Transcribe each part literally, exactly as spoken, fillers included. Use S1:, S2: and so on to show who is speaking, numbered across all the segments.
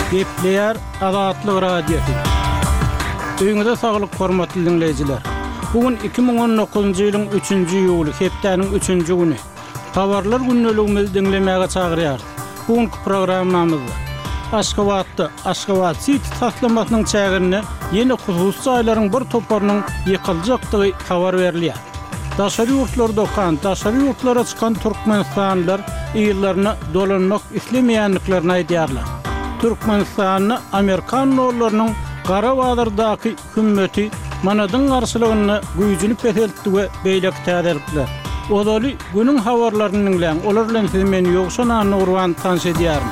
S1: Gepleýär Azatlyk Radiosy. Öýüňize saglyk hormatly diňleýjiler. Bu gün iki müň on dokuzynjy ýylyň üçünji iýuly, hepdäniň üçünji güni. Habarlar gündeligimizi diňlemäge çagyrýarys. Bu günki programmamyzda Aşgabatda Aşgabat Siti taslamasynyň çäginde ýene hususy jaýlaryň bir toparynyň ýykyljakdygy habar berilýär. Daşary ýurtlarda okan, daşary ýurtlara çykan türkmenistanlylar yzlaryna dolanmak islemeýändiklerini aýdýarlar. Türkmenistanda amerikan dollarynyň gara bazardaky hümmeti manadyň garşylygynda güýjüni peseltdi we beýleki täzelikler. Ozaly günüň habarlaryny diňläň, olar bilen sizi men Ýowşan Annagurban tanyş edýärin.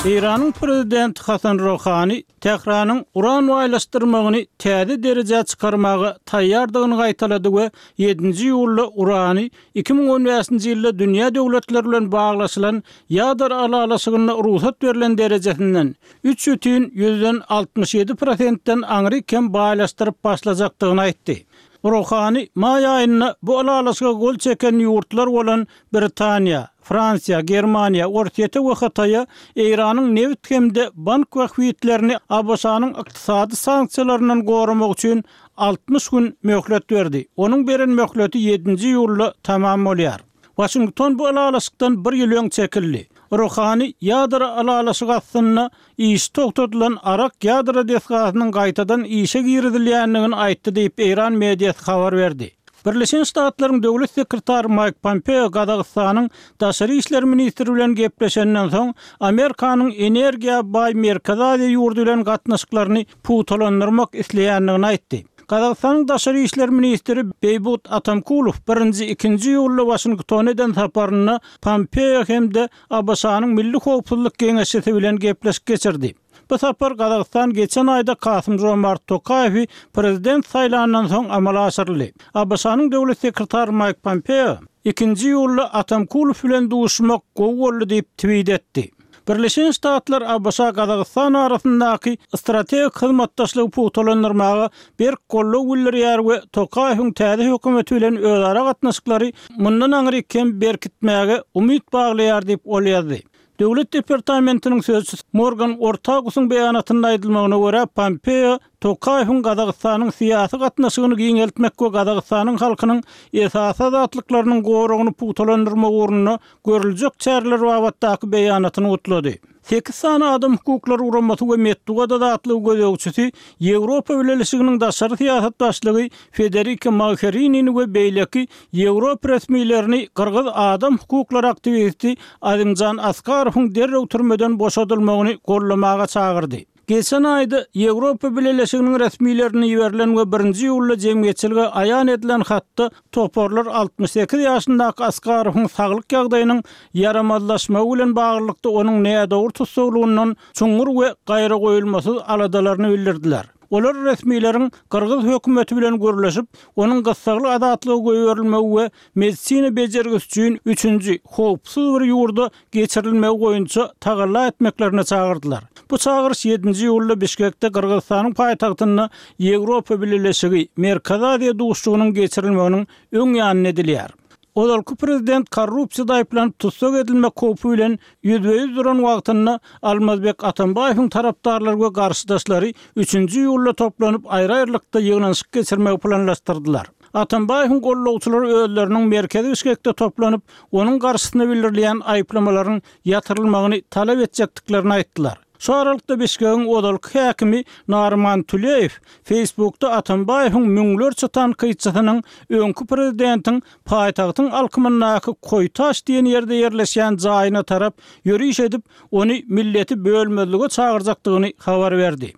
S1: Eýranyň prezidenti Hasan Rohani Tähranyň uran baýlaşdyrmagyny täze derejä çykarmaga taýýardygyny gaýtalady we ýedinji iýulda urany iki müň on bäşinji ýylda dünýä döwletleri bilen baglaşylan ýadro ylalaşygynda rugsat berlen derejesinden üç bütin ýüzden altmyş ýedi prosentden aňry kem baýlaşdyryp başlajakdygyny aýtdy. Rohani maý aýynda bu ylalaşyga gol çeken ýurtlar bolan Britaniýa, Fransiýa, Germaniýa, Orsýete we Hytaýa Eýranyň nebit hem-de bank bähbitlerini A B Ş-nyň ykdysady sanksiýalaryndan goramak üçin altmyş gün möhlet berdi. Onuň beren möhleti ýedinji iýulda tamam bolýar. Waşington bu ylalaşykdan bir ýyl öň çekildi. Rohani ýadro ylalaşygy astynda iş togtadylan Arak ýadro desgasynyň gaýtadan işe girizilýändigini aýtdy diýip Eýran mediasy habar berdi. Birleşen Ştatlaryň döwlet sekretary Mike Pompeo Gazagystanyň daşary işler ministri bilen gepleşenden soň Amerikanyň energiýa baý Merkezi Aziýa ýurdy bilen gatnaşyklaryny pugtalandyrmak isleýändigini aýtdy. Gazagystanyň daşary işler ministri Beýbut Atamkulow birinji, ikinji iýulda Waşingtona eden saparynda Pompeo hem-de A B Ş-nyň Milli Howpsuzlyk Geňeşçisi bilen gepleşik geçirdi. Bu sapar Gazagystan geçen aýda Kasym Jomart Tokaýewi prezident saýlandan soň amala aşyryldy. A B Ş-nyň döwlet sekretary Mike Pompeo ikinji iýulda Atamkulow bilen duşmak gowy boldy diýip tweet etdi. Birleşen Ştatlar A B Ş Gazagystan arasyndaky strategik hyzmatdaşlygy pugtalandyrmaga berk goldaw bildirýär we Tokaýewiň täze hökümeti bilen özara gatnaşyklary mundan aňry kem berkitmäge umyt baglaýar diýip ol ýazdy. Döwlet departamentiniň sözçüsi Morgan Ortagusyň beýanatynda aýdylmagyna görä Pompeo Tokaýewiň Gazagystanyň syýasy gatnaşygyny giňeltmek we Gazagystanyň halkynyň esasy azatlyklarynyň goragyny pugtalandyrmak ugrunda görüljek çäreler babatdaky beýanatyny gutlady. Sekiz sany adam hukuklary guramasy we metbugat azatlygy gözegçisi Ýewropa Bileleşiginiň daşary syýasat başlygy Federica Mogherini we beýleki Ýewropa resmilerini gyrgyz adam hukuklary aktiwisti Azimjan Askarowyň derrew türmeden boşadylmagyny gollamaga çagyrdy. Geçen aýda Ýewropa Bileleşiginiň resmilerine iberilen we birinji iýulda jemgyýetçilige aýan edilen hatda toparlar altmyş sekiz ýaşyndaky Askarowyň saglyk ýagdaýynyň ýaramazlaşmagy bilen baglylykda onuň nädogry tutsaglygyndan çuňňur we gaýragoýulmasyz aladalaryny bildirdiler. Olar resmileriň gyrgyz hökümeti bilen gürleşip, onuň gyssagly azatlygy goýberilmegi we medisina bejergisi üçin üçünji howpsuz bir ýurda geçirilmegi boýunça tagalla etmeklerine çagyrdylar. Bu çagyryş ýedinji iýulda Bişkekde Gyrgyzystanyň paýtagtynda Ýewropa Bileleşigi Merkezi Aziýa duşuşygynyň geçirilmeginiň öň ýanyna edilýär. Ozalky prezident korrupsiýada aýyplanyp tussag edilmek howpy bilen ýüzbe-ýüz duran wagtynda Almazbek Atambaýewiň tarapdarlary we garşydaşlary üçünji iýulda toplanyp aýry-aýrylykda ýygnanyşyk geçirmegi planlaşdyrdylar. Atambaýewiň gollagçylary özleriniň merkezi Bişkekde toplanyp, onuň garşysyna bildirilýän aýyplamalaryň ýatyrylmagyny talap etjekdiklerini aýtdylar. Şu aralykda Bişkegiň ozalky häkimi Narman Tuleýew Facebookda Atambaýewiň müňlerçe tankytçysynyň öňki prezidentiň paýtagtyň alkymyndaky Koýtaş diýen ýerde ýerleşýän jaýyna tarap ýöriş edip, ony milleti bölmezlige çagyrjakdygyny habar berdi.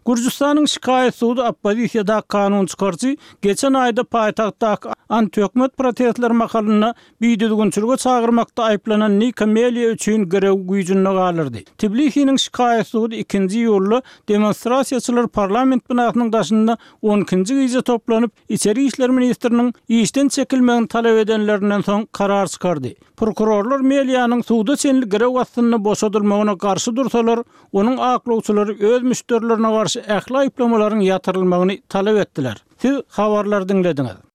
S1: Gürjüstanyň şikaýat sudy oppozisiýadaky kanun çykaryjy geçen aýda paýtagtdaky antihökümet protestleri mahalynda bidüzgünçilige çagyrmakda aýyplanan Nika Meliýa üçin girew güýjünde galyrdy. Tbilisiniň şikaýat sudy ikinji iýulda demonstrasiýaçylar parlament binasynyň daşynda on ikinji gije toplanyp, içeri işler ministriniň işden çekilmegini talap edenlerinden soň karar çykardy. Prokurorlar Meliýanyň suda çenli girew astynda boşadylmagyna garşy dursalar, onuň aklawçylary öz müşderilerine garşy ähli aýyplamalaryň ýatyrylmagyny talap etdiler. Siz habarlary diňlediňiz.